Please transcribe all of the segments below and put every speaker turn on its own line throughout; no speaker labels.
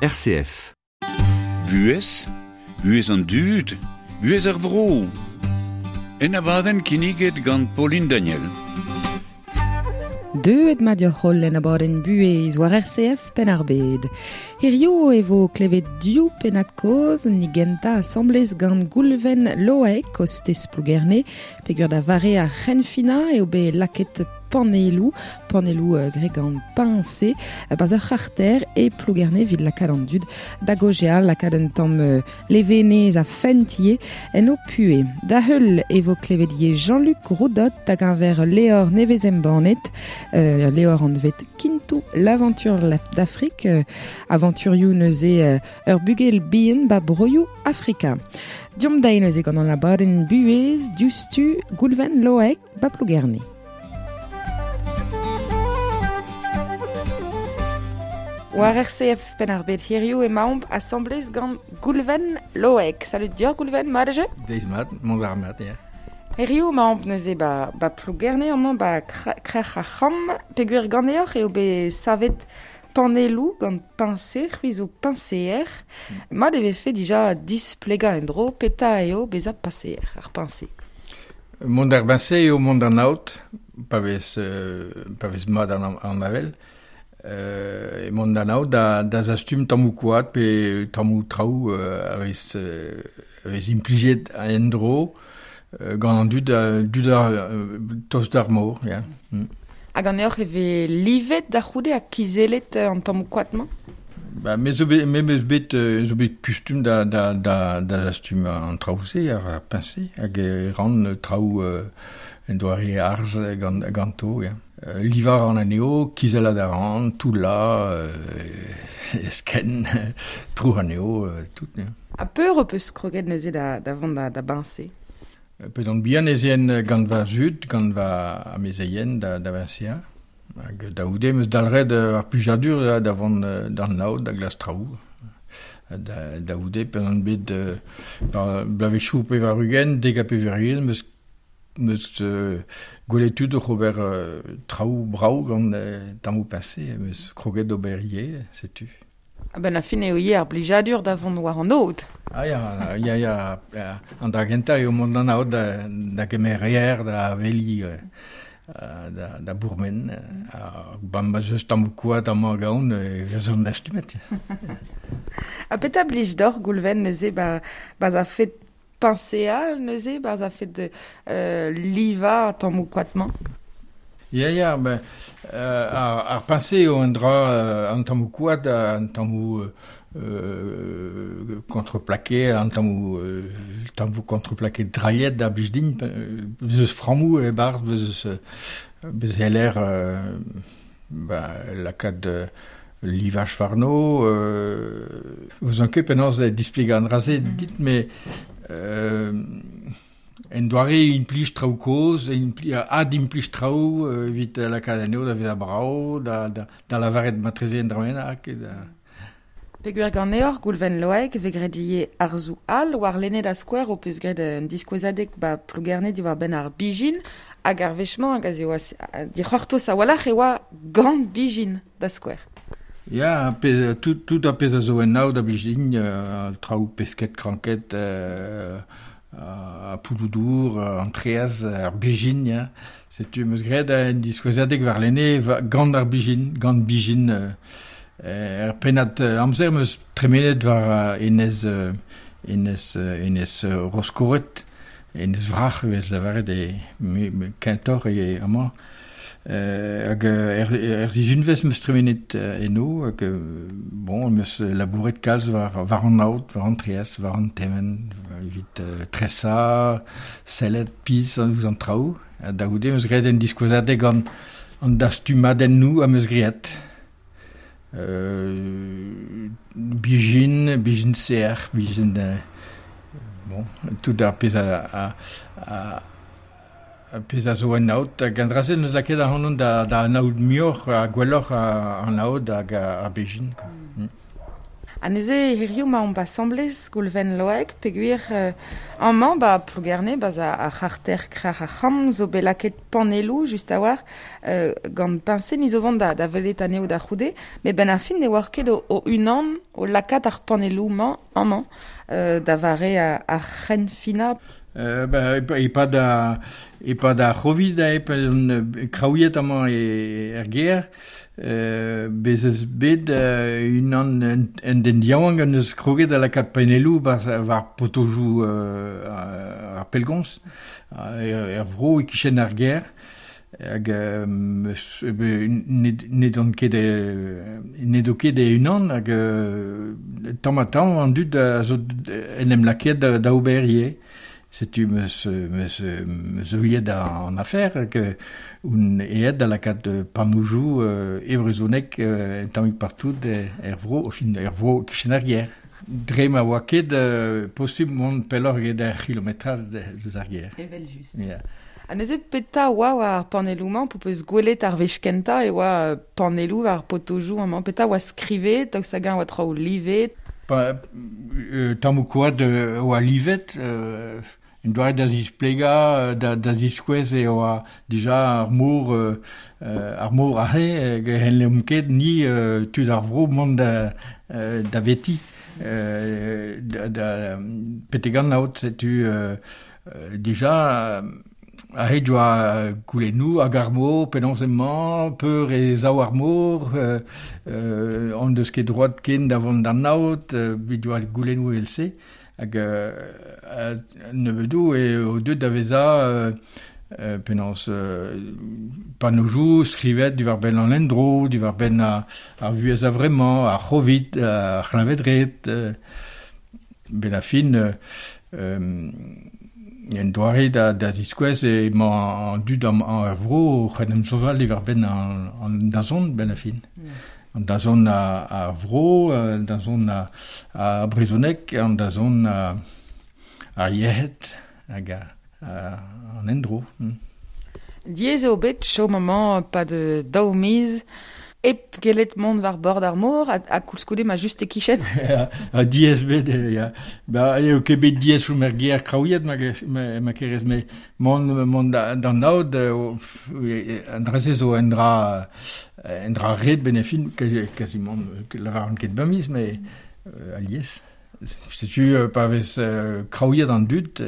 RCF.
Buhez, buhez an dud, buhez ar vro. En abadenn kinniget gant Pauline Daniel.
Deuet mat deoc'h holl en abadenn buhez war RCF Penn-ar-Bed. Hirio e vo klevet div pennad-kozh, ni gentañ asambles gant Goulven Loaek, kostez Plougerne, peogwir da vare ar c'henfinañ eo bet lakaet panelloù, panelloù graet gant peñse, barzh ur c'harter e Plougerne evit lakaat an dud da gaozeal, lakaat un tamm levenez ha fent ivez en ho puhez. Da heul e vo klevet ivez Jean-Luc Roudot da geñver ul levr nevez embannet, ul levr anvet Kintou l'aventure d'Afrique, avanturioù neuze ur bugel bihan ba broioù Afrika. Deomp dezhi neuze gant an abadenn buhez diouzhtu Goulven Loaek ba Plougerne. War RCF Penn-ar-Bed hiziv emaomp asambles gant Goulven Loaek. Salud deoc'h Goulven, mat eo?
Deiz mat, mont war mat, ya.
Hiziv emaomp neuze ba, ba Plougerne amañ ba Krec'h ar C'hamm. Peogwir ganeoc'h eo bet savet panelloù gant peñse, c'hwi zo peñseer. Mat e vefe dija displegañ en-dro petra eo bezañ peñseer, ar peñse.
Mont d'ar peñse eo mont d'an aod, pa vez, pa vez mat an, an avel. E mont d'an aod da, da zastum tammoù koad pe tammoù traoù a vez, a vez implijet en-dro gant an dud, dud ar, tost d'ar mor, ya.
Ha ganeoc'h e vez livet da c'houde ha kizellet an tammoù koad-mañ?
Ba, me zo bet, me 'meus bet, zo bet kustum da, da, da, da zastum an traoù-se, ar peñse, hag e ran traoù en doare arz gant, ganto, ya. Livañ a ran anezho, kizellat a ran, toullañ, eskenn, trouc'h anezho, tout, ya.
Ha peur ho peus kroget neuze da, da vont da, da beñse?
P'edon on bihan ez een gant va zud, gant va amezeien da, da beñseañ. Hag da c'houde 'm eus dalc'het ar plijadur da, da vont d'an aod da glask traoù. Da, da c'houde p'en on bet bloavezhioù 80, 90 'm eus 'm eus gwelet tud oc'h ober traoù brav gant tammoù peñse, 'm eus kroget d'ober ivez, setu.
A-benn ar fin eo ivez ar blijadur da vont war an aod.
Ah ya, ya, ya, an dra gentañ eo mont d'an aod da, da gemer aer, da aveliñ, da, da bourmen. Ha ba ma 'z eus tammoù koad amañ gaon e vezont dastumet.
Ha petra blij deoc'h Goulven neuze ba, ba a fed peñseal neuze, barzh a fed livañ tammoù koad-mañ?
Ya, ya, ben, ar, ar peñse eo un dra, an tammoù koad, an tammoù contreplaqué, an tammoù, tammoù contreplaqué drailhet a blij din, bez eus frammoù e-barzh, bez eus, bez c'heller ba, lakaat livaj warno. N'ouzon ket penaos displegañ an dra-se dit, met en doare implij traoù kozh, adimplij traoù evit lakaat anezho da vezañ brav, da, da, da lavaret marteze un dra bennak. Da...
Peogwir ganeoc'h, Goulven Loaek, e vez graet ivez arzoù all warlene da skouer ho peus graet un diskouezadeg ba Plougerne diwar-benn ar bijin hag ar wech-mañ hag aze oa dic'hortoz a-walc'h e oa gant bijin da skouer.
Ya, pezh, tout, tout ar pezh a zo en aod a blij din, traoù pesked, kranked, ha poudoù-dour, an traezh, ar bezhin, ya. Setu 'm eus graet un diskouezadeg warlene gant ar bezhin, gant bezhin. Er pennad amzer 'm eus tremenet war enez, enez, enez Roskored, enez Wrac'h e vez lavaret e kentoc'h e amañ. Hag er, er sizhunvezh 'm eus tremenet eno hag bon 'm eus labouret kalz war, war an aod, war an traezh, war an tevenn evit tresañ, sellet pizh ouzh an traoù. Ha da goude 'm eus graet un diskouezadeg gant an dastumadennoù am eus graet. Bijin, bijin sec'h, bijin bon, tout ar pezh a, a, a pezh a zo en aod. Hag an dra-se n'eus lakaet ac'hanon da, da anaout muioc'h ha gwelloc'h an aod hag ar bezhin. Quoi. Mm.
Ha neuze hiziv ma omp asambles Goulven Loaek peogwir amañ ba Plougerne ba ar c'harter Krec'h ar C'hamm zo bet lakaet panelloù just a-walc'h gant peñse ni zo vont da welet anezho da c'houde met benn ar fin ne oar ket o-unan o lakaat ar panelloù-mañ amañ da vare ar c'henfinañ.
E-pad ar C'hovid eo on kraouiet amañ er gêr. Bez eus bet unan un den yaouank en deus kroget da lakaat panelloù war potojoù ar pellgomz er vro e-kichen ar gêr. Hag n'edon ket n'edo ket e-unan hag tamm-ha-tamm an dud a zo en em lakaet da ober ivez. Setu 'meus heuliet an afer hag on aet da lakaat pannoù e brezhoneg un tammig partout er vro, enfin er vro kichen ar gêr. Dre ma oa ket posubl mont pelloc'h eget ur c'hilometrad deus ar gêr.
Evel-just. Yeah. Ha neuze petra oa war ar panelloù-mañ p'ho peus gwelet ar wech kentañ e oa panelloù war potojoù amañ? Petra oa skrivet? Daoust hag-eñ oa traoù livet?
Tammoù koad oa livet, un doare da zisplegañ, da ziskouez e oa dija ar mor ar mor aze, n'hellemp ket ni tud ar vro mont da veti, da betek an aod, setu dija aze doa goulennoù hag ar mor, penaos emañ, peur e sav ar mor, hon deus ket droad ken da vont d'an aod, bet doa goulennoù evel-se. Hag nebeudoù eo deuet da vezañ penaos pannoù skrivet diwar-benn an endro, diwar-benn ar vuhez a-vremañ, ar c'hovid, ar c'hleñved-red. Ben ar fin, un doare da ziskouez emañ an dud er vro oc'h en em soñjal diwar-benn an dazont ben ar fin. An dazont ar vro, an dazont ar brezhoneg, an dazont ar yec'hed hag an endro.
Diaes eo bet chom amañ e-pad daou miz hep gellet mont war bord ar mor ha koulskoude ma just e-kichen.
Diaes bet, ya. Ba, eo ket bet diaes chom er gêr kraouiet ma kerez, met mont d'an aod, an dra-se zo un dra ret ben e fin, quasiment, lavaran ket bemdez, met alies. Setu pa vez kraouiet an dud,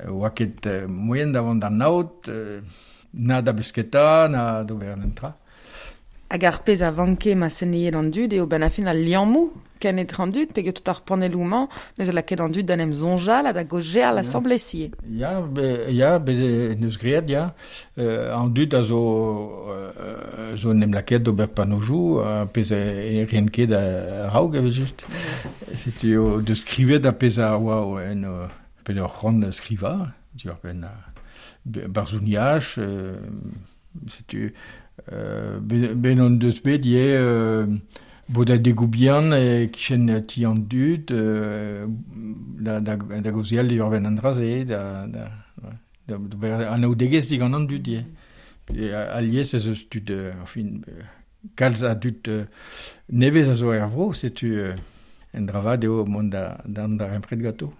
oa ket moaien da vont d'an aod, na da besketa, na d'ober an tra.
Hag ar pezh a vanke ma senniet an dud eo ben a fin al liammoù ken etre an dud, peogwir tout ar panelloù-mañ neus lakaet an dud da en em soñjal ha da gaozeal asambles ivez.
Ya, ya, bez neus graet, ya. An dud a zo en em lakaet d'ober pannojoù, pezh e rien ket a-raok evel-just. Setu deus skrivet ar pezh a oa en pezh ur c'hoant skrivañ, diwar-benn barzhoniaj, setu ben on deus bet ivez bodadegoù bihan e-kichen ti an dud da gaozeal diwar-benn an dra-se, da anaoudegezh digant an dud ivez. Alies ez eus tud, enfin, kalz a dud nevez a zo er vro, setu un dra vat eo mont d'an darempred ganto.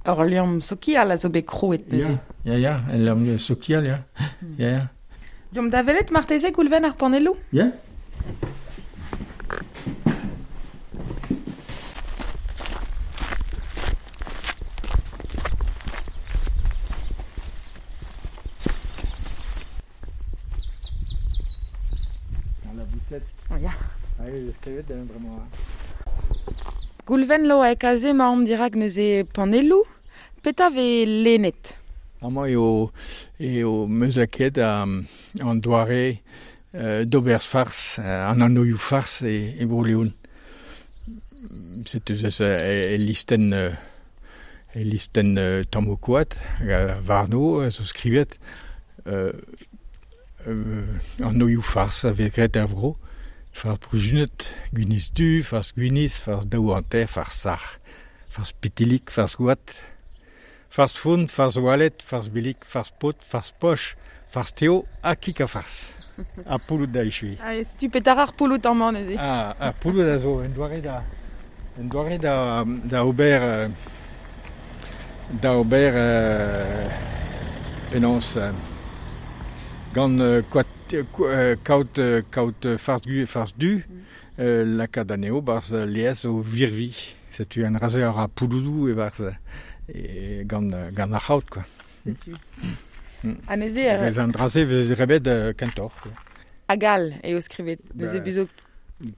Ur liamm sokial a zo bet krouet neuze.
Ya, ya, ul liamm sokial, ya. Ya.
Deomp da welet marteze Goulven ar panelloù?
Ya.
Ya. Goulven Loaek aze emaomp dirak neuze panelloù. Petra vez lennet?
Amañ eo 'meus lakaet an doare d'ober fars, an anvioù fars e Bro-Leon. Setu e listenn tammoù koad warno zo skrivet anvioù fars a vez graet er vro. Fars bruzunet, gwinizh du, fars gwinizh, fars daou hanter, fars sac'h, fars pitilik, fars goad, fars foun, fars oaled, fars billig, fars paotr, fars poch, fars teo ha kig ha fars. Ar pouloud da echuiñ.
Setu petra ar pouloud amañ neuze?
Ah, ar pouloud a zo un doare da Un doare da, da ober da ober penaos gant kaout kaout farz gu farz du lakaat anezho barzh laezh o virvi. Setu an dra-se a ra pouloudoù e-barzh e, gant gant ar c'haout quoi.
Setu. Ha neuze...
Vez an dra-se vez rebet kentoc'h.
Hag all eo skrivet. Neuze bezo...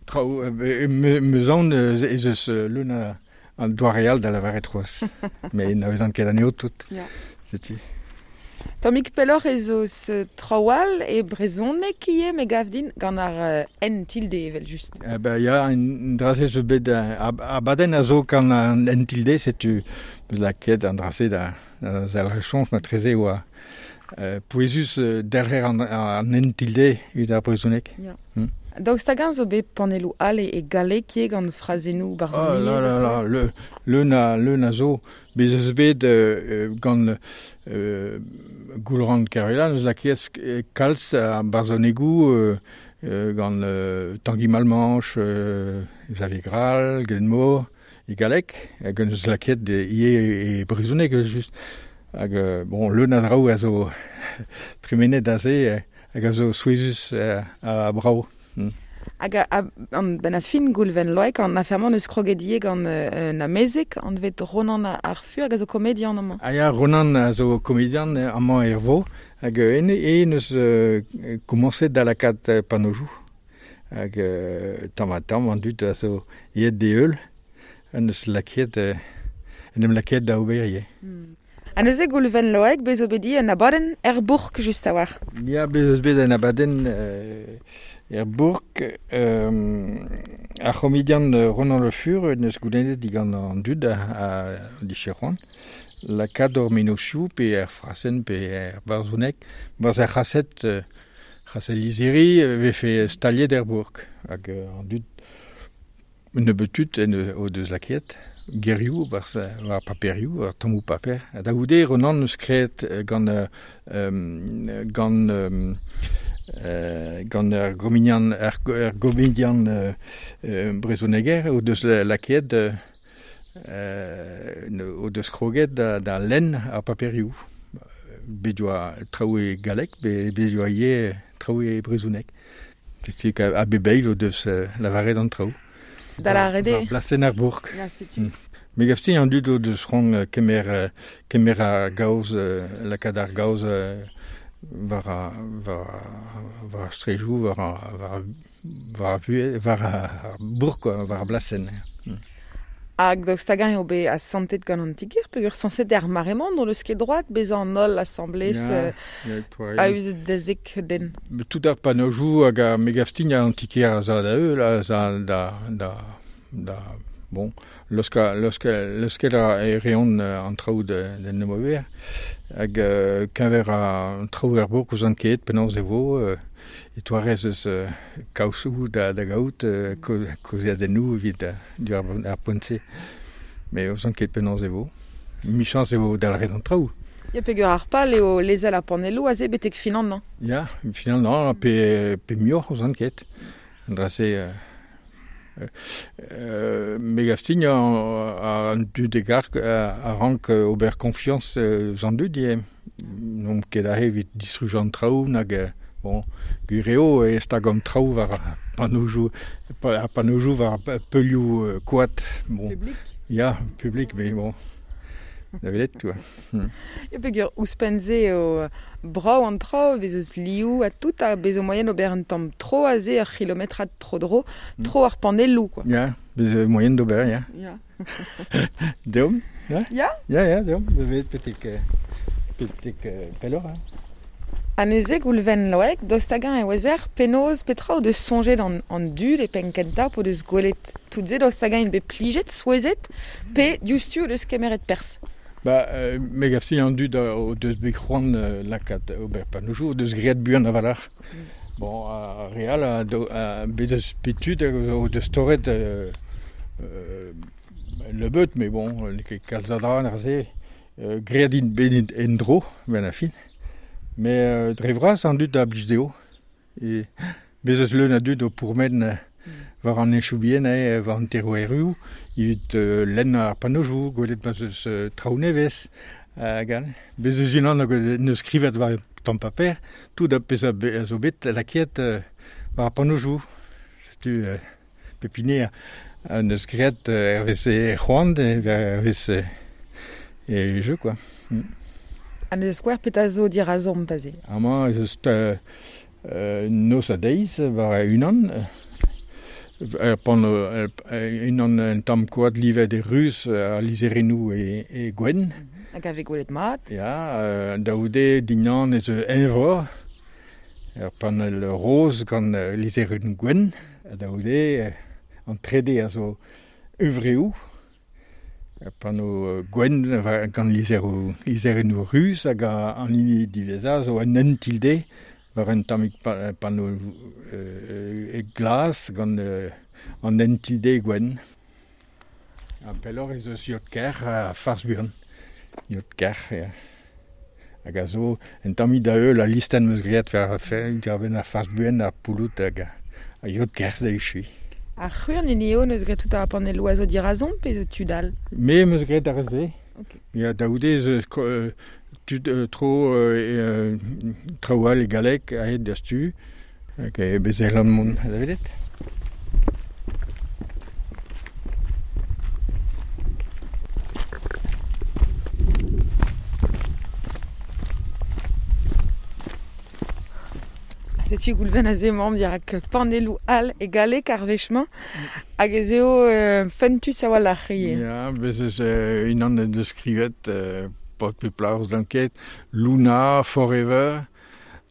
Traoù, meus aon ez eus leun an doare all da lavaret c'hoazh. Met n'avezan ket anezho tout.
Ya.
Setu.
Tammig pelloc'h ez eus traoù all e brezhoneg ivez, me gav din, gant ar N tilde evel-just.
Eh ben ya, an dra-se zo bet abadenn a zo gant an N tilde, setu meus lakaet an dra-se da zelc'her soñj matreze oa pouezus delc'her an N tilde evit ar brezhoneg.
Ya. Daoust hag-eñ zo bet panelloù all e galleg ivez gant frazennoù barzhoniezh?
Oh là là là, le, leun a, leun a zo. Bez eus bet gant Goulc'han Kervella n'eus lakaet kalz a barzhonegoù gant Tangi Malmanche, Xavier Grall, Glenmor, e galleg, hag eus lakaet ivez e brezhoneg just. Hag bon, leun a draoù a zo tremenet aze hag a zo souezhus ha brav.
Hag an benn ar fin Goulven Loaek, an afer-mañ eus kroget ivez gant un amezeg anvet Ronan ar Fur hag a zo komedian amañ.
Ah ya, Ronan a zo komedian amañ er vro hag en eus komañset da lakaat panojoù. Hag tamm-ha-tamm an dud a zo aet d'e heul en eus lakaet en em lakaet da ober ivez.
Ha neuze Goulven Loaek, bez zo bet ivez un abadenn er bourk just a-walc'h.
Ya, bez eus bet un abadenn er bourk. Ar c'homedian Ronan Le Fur en deus goulennet digant an dud a dije c'hoant lakaat hor mennozhioù pe er frasenn pe er barzhoneg barzh ar c'hased c'hased lizhiri vefe staliet er bourk. Hag an dud un nebeud tud en o deus lakaet gerioù barzh war paperioù, war tammoù paper. Ha da goude Ronan eus graet gant gant gant ar gomedian ar gomedian brezhoneger o deus lakaet o deus kroget da lenn ar paperioù. Bet oa traoù e galleg, bet oa ivez traoù e brezhoneg. Setu a bep eil o deus lavaret an traoù.
Da lâret eo.
War blasenn ar bourk.
Ya, setu.
Me gav din an dud o deus c'hoant kemer kemer ar gaoz, lakaat ar gaoz war war war ar straedoù, war war war ar vuhez, war ar bourk, war ar blasenn.
Hag daoust hag-eñ eo bet asantet gant an ti-kêr peogwir sañset er mare-mañ n'hon eus ket droad bezañ an holl asambles a-us da zek den.
Tout ar panojoù hag ar me gav din an ti-kêr a za da heul, a za da da da bon, leuskel leuskel leuskel a reont an traoù d'en em ober. Hag keñver an traoù er bourk ouzon ket penaos e vo e toarez eus kaozoù da da gaout kaozeadennoù evit diwar ar poent-se. Met ouzon ket penaos e vo. Michañs e vo dalc'het an traoù.
Ya, peogwir ar pal eo lezel ar panelloù aze betek fin an hañv.
Ya, fin an hañv pe, pe muioc'h ouzon ket. An dra-se me gav din an dud e garg a rank ober konfiañs eus an dud ivez. N'omp ket aze evit distrujañ an traoù nag bon, gwir eo e stag an traoù war ar panojoù ar panojoù war peulioù koad. Bon.
Publik.
Ya, publik, mais bon. Da welet, quoi.
Ya, peogwir ouzhpenn-se eo brav an traoù, bez eus liv ha tout, ha bez zo moaien ober un tamm tro aze, ur c'hilometrad tro-dro, tro ar panelloù, quoi.
Ya, bez zo moaien d'ober, ya.
Ya.
Deomp, ya?
Ya?
Ya, ya, deomp, bevet betek, betek pelloc'h. Hein.
Ha neuze, Goulven Loaek, daoust hag-eñ e ouezer penaos petra o deus soñjet an, an dud e penn-kentañ p'o deus gwelet tout se, daoust hag-eñ int bet plijet, souezhet, pe diouzhtu o deus kemeret perzh?
Ba, me gav din an dud o deus bet c'hoant lakaat ober panojoù, o deus graet buan a-walc'h. Bon, ar re all a, a bet eus bet tud o deus torret nebeut, mais bon, n'eo ket kalz a dra neuze. Graet int bet en-dro, benn ar fin. Met dre vras an dud a blij dezho. E bez eus leun a dud o pourmen war an enchou bien, war an terouerioù, evit lenn ar panojou, gwelet ma zeus traoù nevez, hag all. Bez eus unan hag neus skrivet war tamm paper, tout a pezh a zo bet lakaet war ar panojou. Setu pep hini a neus graet hervez e c'hoant, hervez e jeu, quoi.
An eus skouer petra zo dirazomp aze?
Amañ ez eus noz ha deiz war unan. Pan unan un tamm koad livet e ruz ha lizherennoù e gwenn.
Hag a vez gwelet mat.
Ya, da goude dindan ez eus eñvor, ur panell roz gant lizherennoù gwenn. Ha da goude an trede a zo huñvreoù, ur panneau gwenn gant lizherennoù ruz hag an hini diwezhañ zo un hent tilde war un tammig panneau glas gant an hent tilde gwenn. Ha pelloc'h ez eus yod-kerc'h ha farz buan. Yod-kerc'h, ya. Hag a zo un tammig da heul al listenn 'm eus graet war diwar-benn ar farz buan, ar pouloud hag ar yod-kerc'h da echuiñ.
Ar c'hwec'h an hini eo n'eus graet tout ar panelloù a zo dirazomp pe zo tud all?
Me 'm eus graet ar re-se. Ya, da goude ez eus tud tro traoù all e galleg aet da stu. Hag bez e c'hellan mont da welet.
Setu Goulven aze emaomp dirak panelloù all e galleg ar wech-mañ. Hag ez eo fentus a-walc'h ivez.
Ya, bez eus unan en deus skrivet paotr pe plac'h ouzh ket, Luna Forever,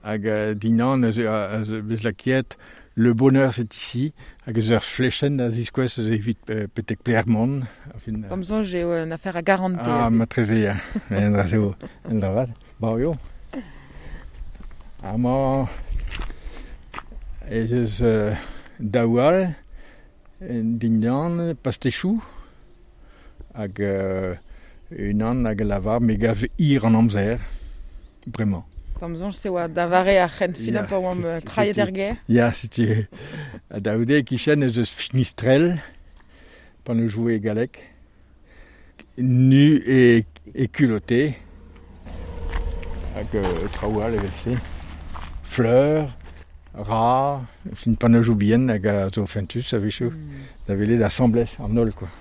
hag dindan eus bez lakaet Le bonheur c'est ici, hag eus ur flechenn da ziskouez eus evit petek pelec'h mont.
D'am soñj eo un afer a garantez.
Ah, matreze, ya. En dra eo un dra vat. Bon, eo. Amañ ez eus daou all dindan pastechoù hag unan hag a lavar me gav hir an amzer bremañ.
D'am soñj se oa da vare ar c'henfinañ pa oamp trailhet er gêr.
Ya, setu da goude e-kichen ez eus Finistrel pa ne joue e galleg. Nu e culotté hag traoù all evel-se. Fleur, ra, fin pannejoù bihan hag a zo fentus a-wechoù da welet asambles an holl quoi.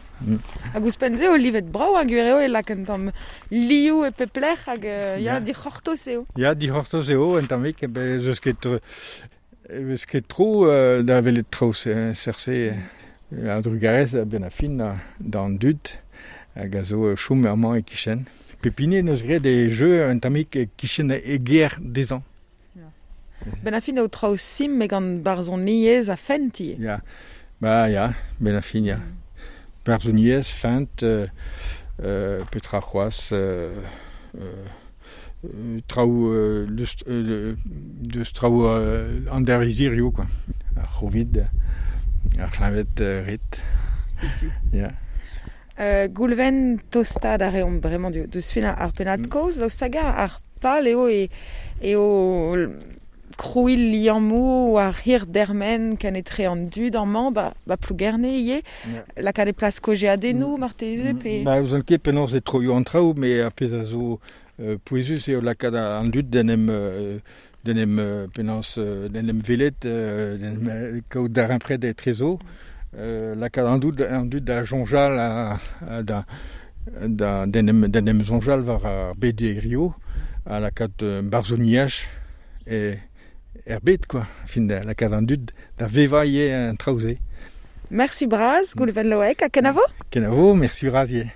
Hag ouzhpenn-se eo livet brav ha gwir eo e lak un tamm liv e pep lec'h hag ya, dic'hortoz eo.
Ya, dic'hortoz eo un tammig, bez eus ket vez ket tro da welet traoù seurt-se. A-drugarez a-benn ar fin d'an dud hag a zo chom amañ e-kichen. Pep hini en deus graet e jeu un tammig e-kichen e gêr dezhañ.
Benn ar fin eo traoù simpl met gant barzhoniezh ha fent ivez.
Ya, ba ya, benn ar fin ya. Barzhoniezh, fent, petra c'hoazh, traoù deus traoù an dervezirioù quoi. Ar c'hovid, ar c'hleñved ret.
Setu.
Ya.
Goulven tostaat a reomp bremañ deus fin ar pennad-kaoz. Daoust hag-eñ ar pal eo eo krouiñ liammoù war hir dermen ken etre an dud amañ ba Plougerne ivez. Lakaat e plas kaozeadennoù marteze pe...
Ba ouzon ket penaos e troio an traoù, met ar pezh a zo pouezus eo lakaat an dud d'en em d'en em penaos d'en em welet, d'en em kaout darempred etrezo. Lakaat an dud da soñjal da da d'en em d'en em soñjal war ar bed hiziv ha lakaat barzhoniaj er bed quoi. Fin da lakaat an dud da vevañ ivez an traoù-se.
Merci bras, Goulven Loec, ha kenavo?
Kenavo, merci bras ivez.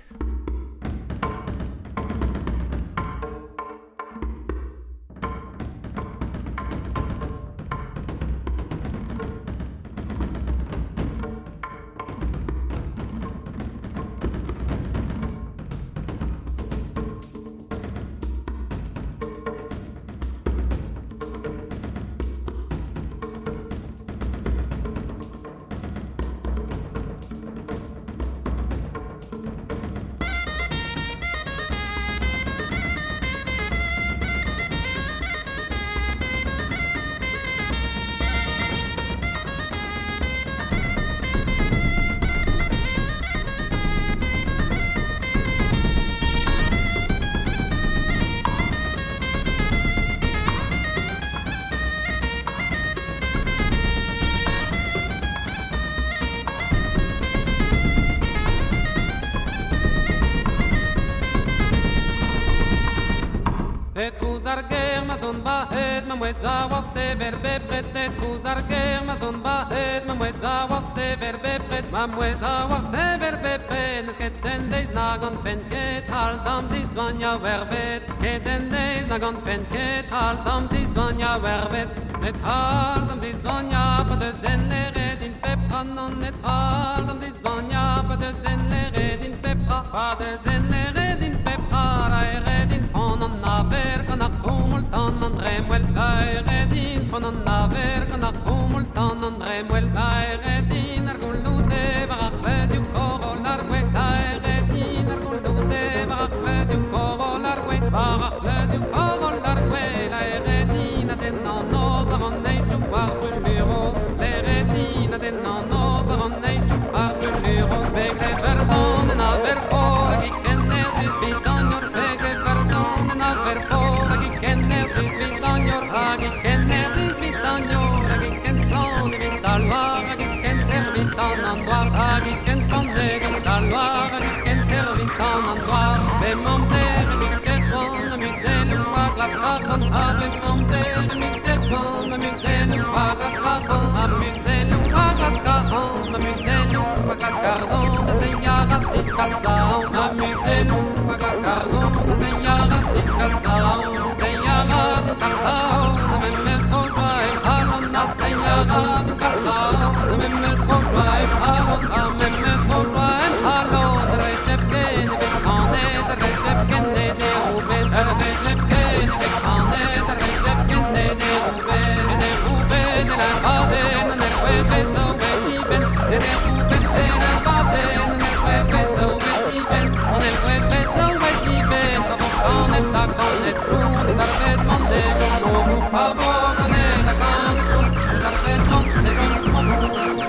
trouz ar ger ma zon bahet, ma mouez a oa sever bepred. E trouz ar ger ma zon bahet, ma mouez a oa sever bepred. Ma mouez a oa sever bepred, n'eus ket en deiz na gant fen ket al dam zizoania werbet. Ket en deiz na gant fen ket al dam zizoania werbet. Net al dam zizoania pa deus en leret in pepra non net al dam zizoania pa deus en leret in pepra pa deus en leret in pepra la eret in pon an aver gant ar c'houmoul tan an dremwell la eret in pon an aver gant ar c'houmoul tan an dremwell la eret in ar gouloute war ar c'hleuzioù koroll ar gwez la eret in ar gouloute war ar c'hleuzioù koroll ar gwez war ar c'hleuzioù koroll ar gwez la eret in a den an noz war an eizhioù war bruluroz l'eret in a den an noz war an eizhioù war bruluroz begle verzon en aver kor hag i kenner zuz vit an yor begle verzon en aver kor hag i kenner zuz vit an yor hag i kenner zuz vit an yor hag i ken splann evit al loar hag i ken tervit an an doar hag i ken splann evit al loar hag i ken tervit an an doar be mamzer e micher c'hoant ma muzelloù a glask arc'hant ha be mamzer e micher c'hoant ma muzelloù a glask arc'hant ha muzelloù a glask arc'hant ma muzelloù a glask arzant da zeiarat e kalzañ ma muzelloù a glask arzant da zeiarat e kalzañ zeiarat e kalzañ na me meus tro joa em c'halon na zeiarat e kalzañ na me meus tro joa em c'halon na me meus tro joa em c'halon ar vez ken e vez kanet ar vez ken e deroubet ar vez ken e vez kanet ar vez ken e deroubet e deroubet e la baden an er wet vez zo bet iben e deroubet e la baden an er wet vez zo bet iben an er wet vez zo bet iben pa vo kanet ha kanet soun et ar vez man de gant o mou pa vo kanet ha kanet soun et ar vez man de gant o mou.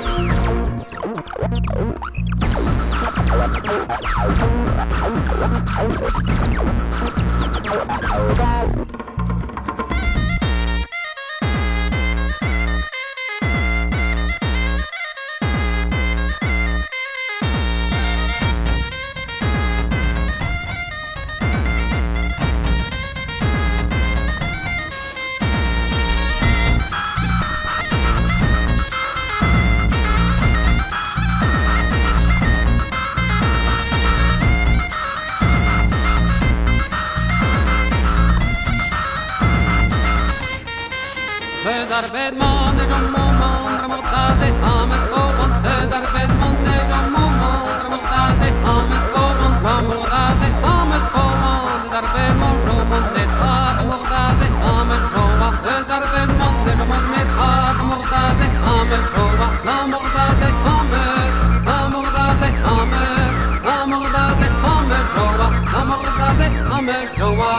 Eus ar bed man e jom moment ramortaze ames fovant Eus ar bed man e jom moment ramortaze ames fovant Ramortaze ames fovant Eus ar bed man jom netra ramortaze ames joa Eus ar bed man e jom netra ramortaze ames joa Ramortaze ames Ramortaze ames Ramortaze ames joa Ramortaze ames joa.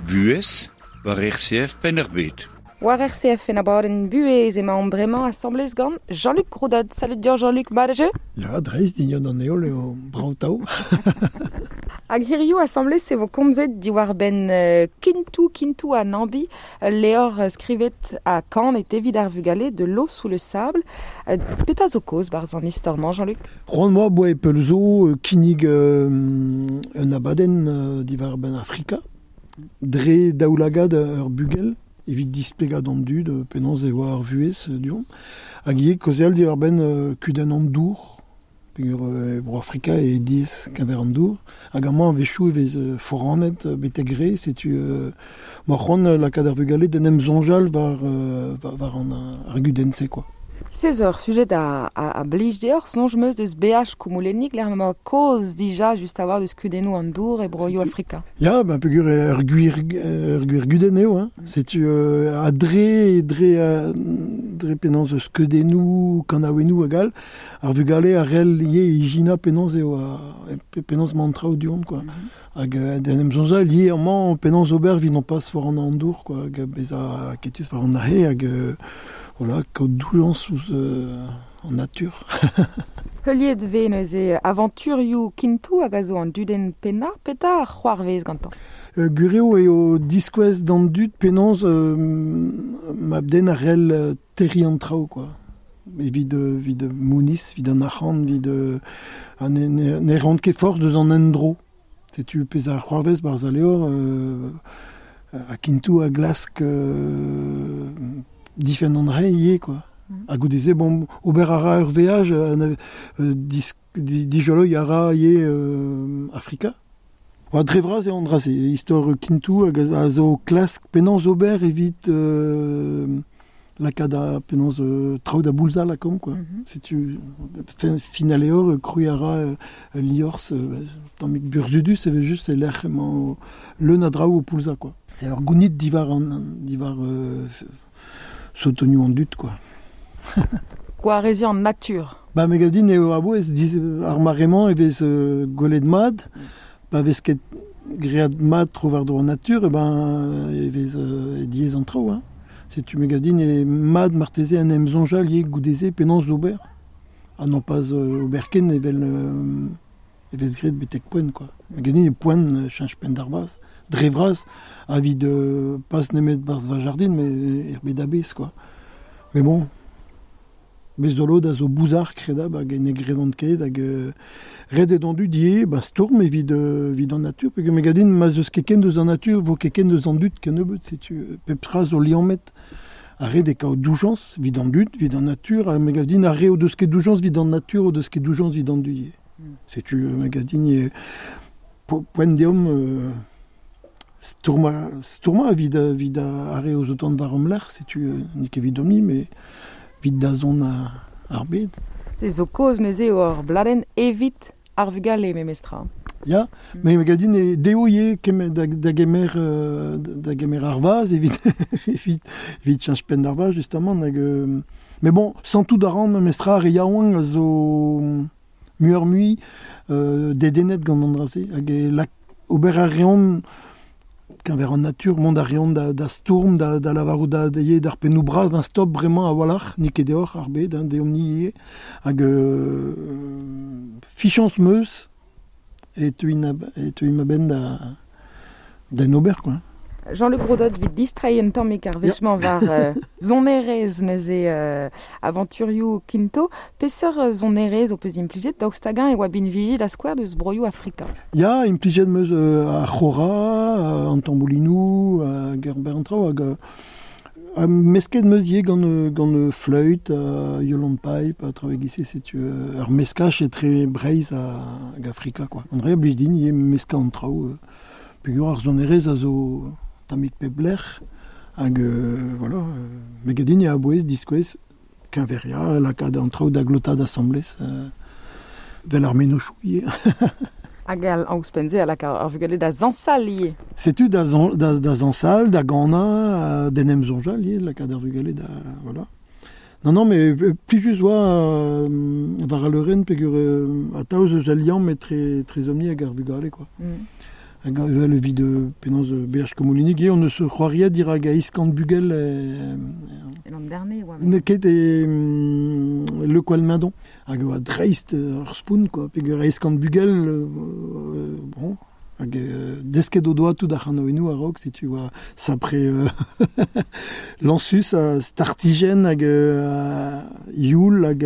Buhez war RCF Penn-ar-Bed.
War RCF en abadenn Buhez emaomp bremañ asambles gant Jean-Luc Roudot. Salut dir Jean-Luc, mat eo?
Ya, dreist dignon an heol eo brav-tav.
Hag hiziv asambles e vo komzet diwar-benn Kintou, Kintou ha Nambi, levr skrivet ha kanet evit ar vugale de l'eau sous le sable. Petra zo kaoz barzh an istor-mañ, Jean-Luc?
C'hoant moa boa pell zo kinnig un abadenn diwar-benn Afrika, dre daoulagad ur bugel, evit displegañ d'an dud penaos e oa ar vuhez du-hont. Hag ivez kaozeal diwar-benn kudenn an dour, peogwir bro Afrika e diaes keñver an dour. Hag amañ a-wechoù e vez foranet betek re, setu ma c'hoant lakaat ar vugale d'en em soñjal war, war an ar gudenn-se quoi.
16 eur, sujet a blij deoc'h, soñj 'm eus deus beaj koumoulennig, lec'h ma kaoz dija just a-walc'h deus kudennoù an dour e broioù Afrika.
Ya, ben peogwir ur gwir gudenn eo, hein. Setu ha dre dre penaos eus skeudennoù, kanaouennoù hag all, ar vugale a c'hell ivez ijinañ penaos eo penaos emañ an traoù du-hont, quoi. Hag d'en em soñjal ivez amañ penaos ober evit non pas foran an dour, quoi, hag bezañ aketus war an ahe, hag voilà, kaout doujañs ouzh an natur.
Heuliet ve neuze aventurioù Kintou hag a zo an dudenn pennañ, petra ar c'hoarvez gantañ?
Gureo eo diskouez d'an dud penaos mabden ar rel terri an traoù, quoi. Evit, evit mounis, evit an arc'hant, evit ne, ne, ne rant ket forz deus an endro. Setu pezh ar c'hoarvez barzh al levr a Kintou a glask difenn an rei ivez, quoi. Ha goude-se, bon, ober a ra ur veaj, dijoloi a ra ivez Afrika. Oa dre vras eo an dra-se, istor Kintou hag a zo klask penaos ober evit lakaat a penaos traoù da boulzañ lakaomp, quoi. Setu fin, fin al levr, krouiñ a ra ul liorzh tammig burzhudus evel-just e lec'h emañ leun a draoù o poulzañ, quoi. C'est ur gounid diwar an diwar sotonioù an dud, quoi.
Gwareziñ an natur.
Ba me gav din eo a-bouez ar mare-mañ e vez gwelet mat, pa vez ket graet mat tro-war-dro an natur, e ben e vez diaes an traoù, hein. Setu me gav din eo mat marteze en em soñjal ivez goude-se penaos ober, ha non pas ober ken evel e vez graet betek poent, quoi. Me gav din eo poent cheñch penn d'ar vazh, dre vras, evit pas nemet barzh va jardin, met er bed a-bezh, quoi. Mais bon, bez zo lod a zo bouzar kredabl hag ne gredont ket hag ret eo d'an dud ivez ba stourm evit evit an natur peogwir me gav din ma'z eus ket ken deus an natur vo ket ken deus an dud kennebeut setu pep tra zo liammet ha ret eo kaout doujañs evit an dud evit an natur ha me gav din ar re o deus ket doujañs evit an natur o deus ket doujañs evit an dud ivez. Setu me gav din eo poent deomp stourmañ stourmañ evit evit ar re o zo tont war hom lerc'h setu n'eo ket evidomp-ni met evit dazont ar bed.
Se zo kaoz neuze eo ur bladenn evit ar vugale memestra.
Ya, met me gav din eo dezho ivez kemer da, da gemer da gemer ar vazh evit evit evit cheñch penn d'ar vazh justement hag mais bon santout a ran memestra ar re yaouank a zo muioc'h-mui dedennet gant an dra-se hag e lak ober a reont keñver an natur, mont a reont da, da stourm, da, da lavarout da, da ivez d'ar pennoù bras, ben stop bremañ a-walc'h, n'eo ket deoc'h ar bed, hein, deomp-ni ivez. Hag fichañs 'm eus e teuin e teuimp a-benn da d'en ober, quoi.
Jean-Luc Rodot evit distreiñ un tammig ar wech-mañ war sonerezh neuze avanturioù Kinto. Peseurt sonerezh ho peus implijet daoust hag-eñ e oa binviji da skouer deus broioù Afrika?
Ya, implijet 'm eus ar c'hora, an tamboulinoù, hag ur bern traoù hag ha mesket 'm eus ivez gant gant fleüt, violon pipe ha traoù e-giz-se setu ur meskaj etre Breizh hag Afrika quoi. An dra a blij din ivez meskañ an traoù. Peogwir ar sonerezh a zo tammig pep lec'h hag voilà, me gav din eo a-bouez diskouez keñveriañ, lakaat an traoù da glotaat asambles, vel ar mennozhioù ivez.
Hag ouzhpenn-se a laka ar vugale da zañsal ivez.
Setu da, da, da zañsal, da ganañ, d'en em soñjal ivez, lakaat ar vugale da voilà. Non, non, mais plijus oa war al leurenn peogwir atav eus al liamm etre etrezomp-ni hag ar vugale, quoi. Hag evel evit penaos beaj Komolinig eo, on eus c'hoariet dirak eizh kant bugel
En an oa.
N'eo ket e Le Koal-Mendon. Hag e oa dreist ur spont, quoi, peogwir 800 bugel, bon, hag desket o doa tout ar c'hanaouennoù a-raok, setu oa sapre lañsus ha startijenn hag youl hag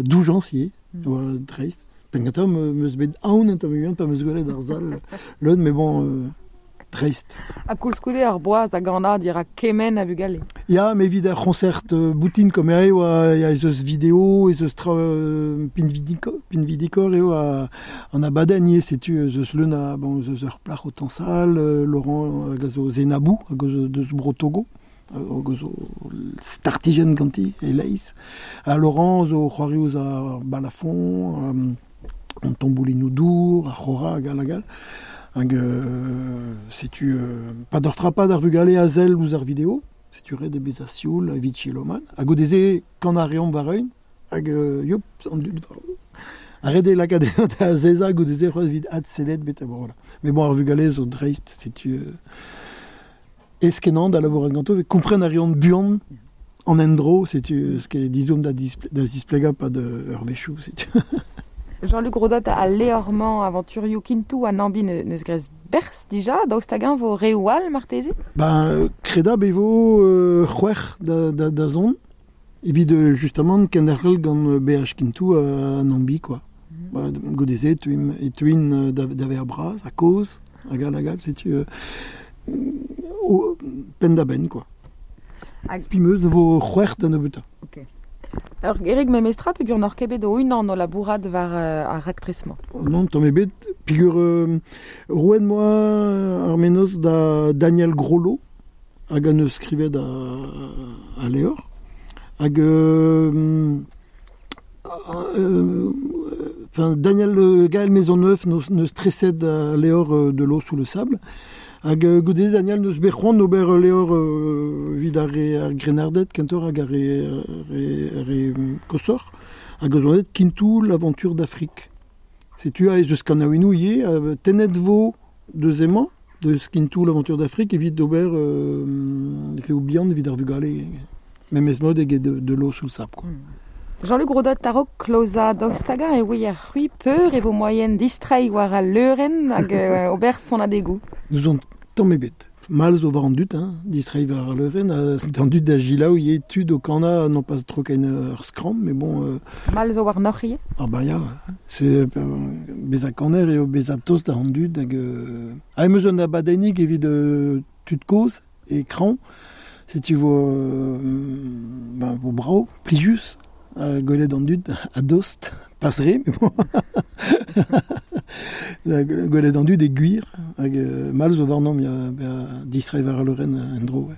doujañs ivez, oa dreist. Penn-kentañ 'm eus bet aon un tamm bihan pa 'm eus gwelet ar sal leun, mais bon, dreist.
Ha koulskoude ar boaz da ganañ dirak kement a vugale.
Ya, mais evit ar c'hoñsert boutin comme eo oa ez eus video, ez eus tra pinvidikoc'h eo an abadenn ivez, setu ez eus leun a bon ez eus ur plac'h o tañsal, Laurent hag a zo Zenabou hag eus deus Bro Togo, hag a zo startijenn ganti e-leizh. Ha Laurent zo c'hoari ouzh ar balafon, an tamboulinoù dour, ar c'hora hag all hag all. Hag setu pa d'ur frapad ar vugale a sell ouzh ar video, setu ret eo bezañ sioul evit selaou mat. Ha goude-se kan a reomp war-eeun hag yop, an dud war ha ret eo lakaat da azezañ goude-se c'hoazh evit adsellet betek voilà. Mais bon, ar vugale zo dreist, setu aes-kenañ da labourat ganto, kompren a reont buan. An endro, setu ce dizoum da displega pa de ur vechou, setu.
Jean-Luc Rodot a leormañ aventurioù Kintou an ambi neus grez berz dija, daoust hag-eñ vo reoù all marteze?
Ben, kreda be vo c'hwec'h da zon, evit justement kenderc'hel gant BH Kintou an ambi, quoi. Mm. Goude-se, e tuin da ver bras, a koz, hag all, setu penn da benn, quoi. Hag pimeus vo c'hwec'h da nebeutañ.
Ok. Ur gerig memestra peogwir n'oc'h ket bet o-unan o labourat war ar raktres-mañ.
Non, tamm ebet, peogwir roet moa ar mennozh da Daniel Grollo hag an eus skrivet a levr. Hag Daniel Gaël Maisonneuf neus treset a levr de l'eau sous le sable. Hag goude Daniel neus bet c'hoant ober levr evit ar re grennarded kentoc'h hag ar re kosoc'h. Hag eus onet Kintou l'aventure d'Afrique. Setu a ez eus kanaouennoù ivez, tennet vo deus emañ, deus Kintou l'aventure d'Afrique evit ober reoù bihan evit ar vugale. Memes mod eget de l'eau sous le sable, quoi.
Jean-Luc Rodot tarok kloza daoust hag-eñ e ouier c'hwi peur e vo moaien distreiñ war al leurenn hag ober sonadegoù.
Nous on tamm ebet. Mal zo war an dud, hein, distreiñ war al leurenn, d'an dud da gilaou ivez tud o kanañ non pas tro ken ur skramm, mais bon...
Mal zo war noc'h ivez?
Ah ben ya, c'est bezañ kaner eo bezañ tost da an dud hag... Ha em eus un abadennig evit tud kozh e kraoñ, setu vo, ben, vo brav, plijus. Gwelet an dud a dost, pas re, mais bon. Gwelet an dud e gwir, hag mal zo warnomp ya distreiñ war al leurenn en-dro.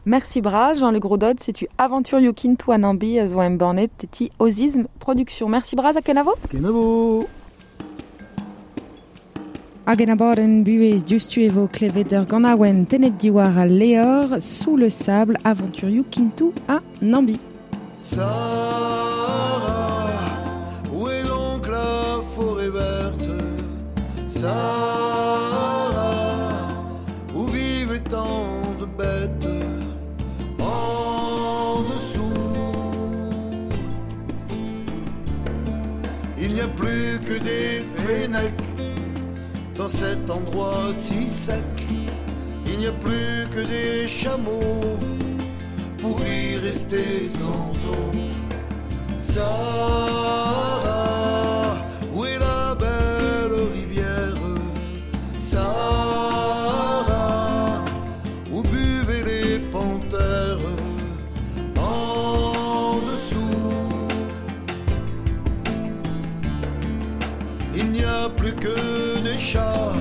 Merci bras, Jean-Luc Rodot, setu aventurioù Kintou an ambi a zo embannet ti Ozism Production. Merci bras ha kenavo?
Kenavo!
Hag en abadenn buhez diouzhtu e vo klevet ur ganaouenn tennet diwar al levr Sous le sable, aventurioù Kintou ha Nambi.
Sahara, où est donc la forêt verte? Sahara, où vivent tant de bêtes? En dessous, il n'y a plus que des fennecs dans cet endroit si sec. Il n'y a plus que des chameaux pour y rester sans eau. Sahara, où est la belle rivière? Sahara, où buvaient les panthères? En dessous, il n'y a plus que des chats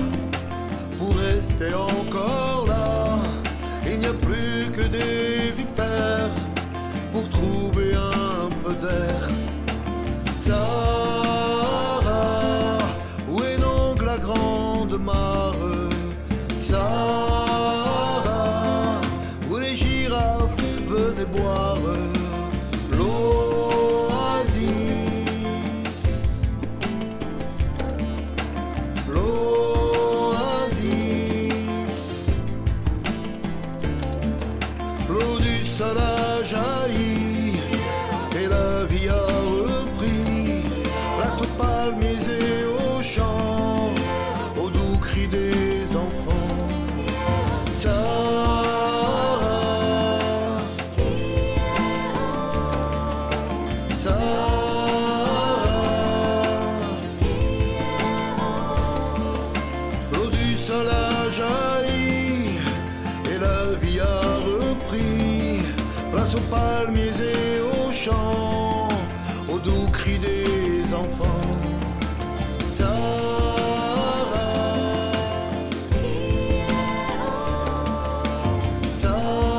pour rester encore là. Il n'y a plus que des vipères pour trouver un peu d'air. Sahara, où est donc la grande mare? Sahara, où les girafes venaient boire. L'oasis, l'oasis, l'eau du sol a jailli et la vie a repris. Place aux palmiers et aux champs, aux doux cris des enfants. Sahara, Sahara, l'eau du sol a jailli et la vie a repris. Place aux palmiers et aux champs, aux doux cris des enfants. Sahara, Sahara.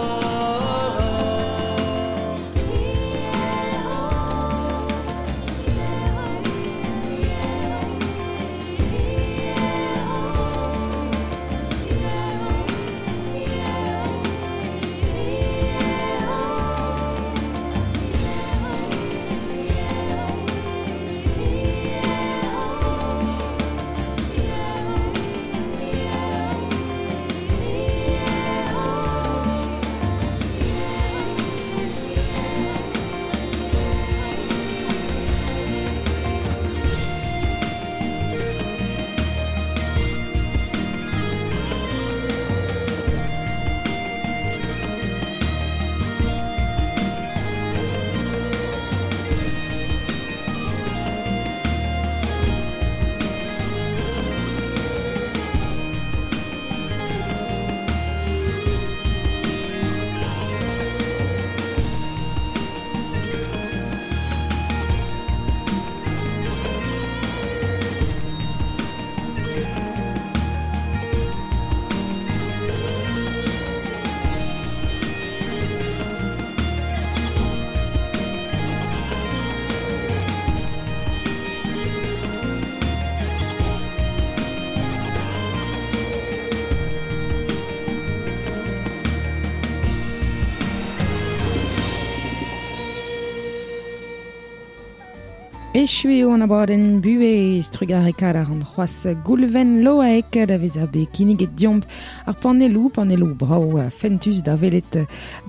Echu eo an abadenn buhez trugarekaat a ran c'hoazh Goulven Loaek da vezañ bet kinniget deomp ar panelloù, panelloù brav ha fentus da welet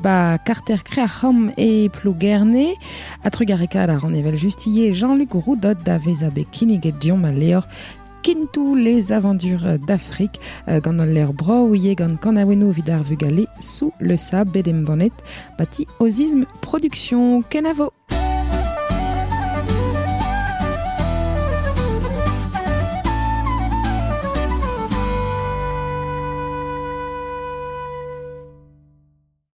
ba karter Kreac'ham e Plougerne. Ha trugarekaat a ran evel just ivez Jean-Luc Roudot da vezañ bet kinniget deomp al levr Kintou les aventures d'Afrique gant al levr brav ivez gant kanaouennoù evit ar vugale sous le sable bet embannet bati Ozism Production. Kenavo!